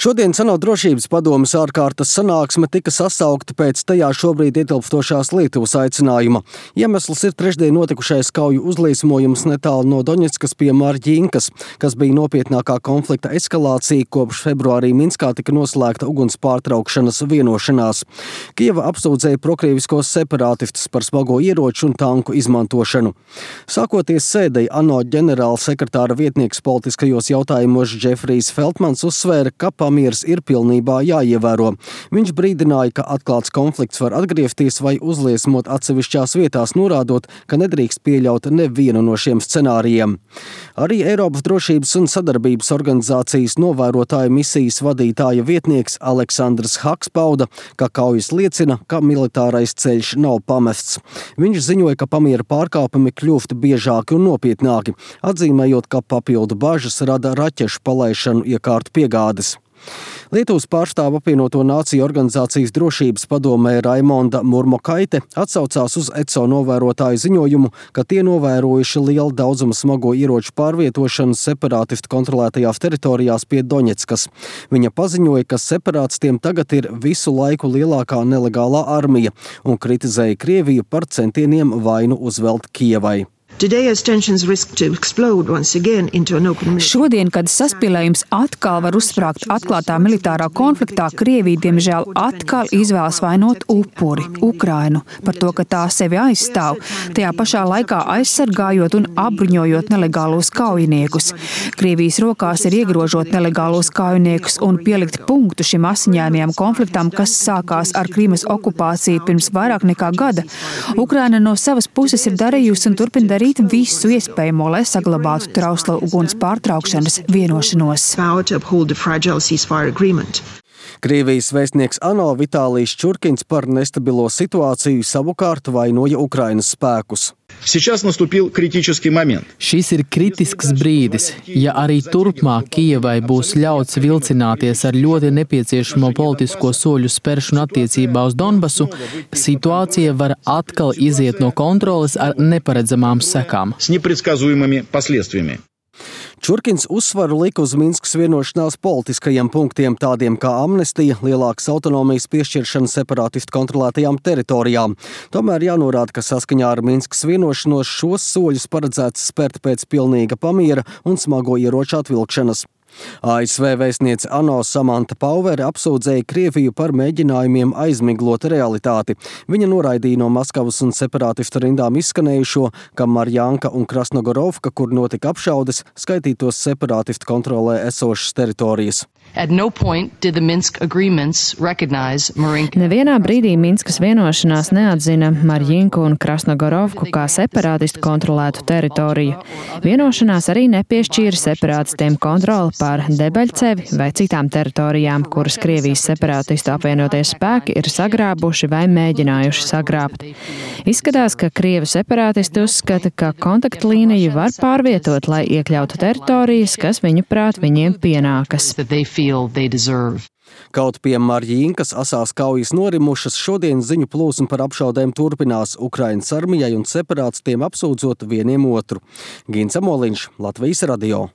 Šodien ANO drošības padomes ārkārtas sanāksme tika sasaukta pēc tajā šobrīd ietilpstošās Lietuvas aicinājuma. Iemesls ir trešdien notikušais kauju uzliesmojums netālu no Doņetskas pie Marģinkas, kas bija nopietnākā konflikta eskalācija, kopš februārī Minskā tika noslēgta uguns pārtraukšanas vienošanās. Kijeva apsūdzēja prokrieviskos separātistus par smago ieroču un tanku izmantošanu. Sākoties sēdei, ANO ģenerāla sekretāra vietnieks politiskajos jautājumos Džefrijs Feltmans uzsvēra, ka pamieris ir pilnībā jāievēro. Viņš brīdināja, ka atklāts konflikts var atgriezties vai uzliesmot atsevišķās vietās, norādot, ka nedrīkst pieļaut nevienu no šiem scenārijiem. Arī Eiropas drošības un sadarbības organizācijas novērotāja misijas vadītāja vietnieks Aleksandrs Haks pauda, ka kaujas liecina, ka militārais ceļš nav pamests. Viņš ziņoja, ka pamiera pārkāpumi kļūst biežāki un nopietnāki, atzīmējot, ka papildu bažas rada raķešu palaišanu iekārtu piegādes. Lietuvas pārstāve apvienoto nāciju organizācijas drošības padomē Raimonda Murmokaite atsaucās uz ECO novērotāju ziņojumu, ka tie novērojuši lielu daudzumu smago ieroču pārvietošanu separātistu kontrolētajās teritorijās pie Doņetskas. Viņa paziņoja, ka separātistiem tagad ir visu laiku lielākā nelegālā armija un kritizēja Krieviju par centieniem vainu uzvelt Kijevai. Šodien, kad saspīlējums atkal var uzsprāgt atklātā militārā konfliktā, Krievija, diemžēl, atkal izvēlas vainot upuri, Ukrainu, par to, ka tā sevi aizstāv, tajā pašā laikā aizsargājot un apbruņojot nelegālos kaujiniekus. Krievijas rokās ir iegrožot nelegālos kaujiniekus un pielikt punktu šim asiņainajam konfliktam, kas sākās ar Krimas okupāciju pirms vairāk nekā gada. Ukraina no savas puses ir darījusi un turpina darīt visu iespējamo, lai saglabātu trauslo uguns pārtraukšanas vienošanos. Krievijas vēstnieks ANO Vitālijs Čurkins par nestabilo situāciju savukārt vainoja Ukrainas spēkus. Šis ir kritisks brīdis. Ja arī turpmāk Kijevai būs ļauts vilcināties ar ļoti nepieciešamo politisko soļu spēršanu attiecībā uz Donbasu, situācija var atkal iziet no kontroles ar neparedzamām sekām. Čurkins uzsvaru lika uz Minskas vienošanās politiskajiem punktiem, tādiem kā amnestija, lielākas autonomijas piešķiršana separātistu kontrolētajām teritorijām. Tomēr jānorāda, ka saskaņā ar Minskas vienošanos šos soļus paredzēts spērt pēc pilnīga pamiera un smago ieroču atvilkšanas. ASV vēstniece ANO Samanta Pauvere apsūdzēja Krieviju par mēģinājumiem aizmiglot realitāti. Viņa noraidīja no Maskavas un separātistu rindām izskanējušo, ka Marjanka un Krasnogorovka, kur notika apšaudes, skaitītos separātistu kontrolē esošas teritorijas. Nevienā brīdī Minskas vienošanās neatzina Marjinku un Krasnogorovku kā separātistu kontrolētu teritoriju. Vienošanās arī nepiešķīra separātistiem kontroli pār Debeļcevi vai citām teritorijām, kuras Krievijas separātistu apvienoties spēki ir sagrābuši vai mēģinājuši sagrābt. Izskatās, ka Krievu separātisti uzskata, ka kontaktlīniju var pārvietot, lai iekļautu teritorijas, kas viņu prāt viņiem pienākas. Kaut pie Marģinkas asās kaujas norimušas, šodien ziņu plūsma par apšaudēm turpinās Ukrainas armijai un separātistiem apsūdzot vieniem otru. Gins Amoliņš, Latvijas radio.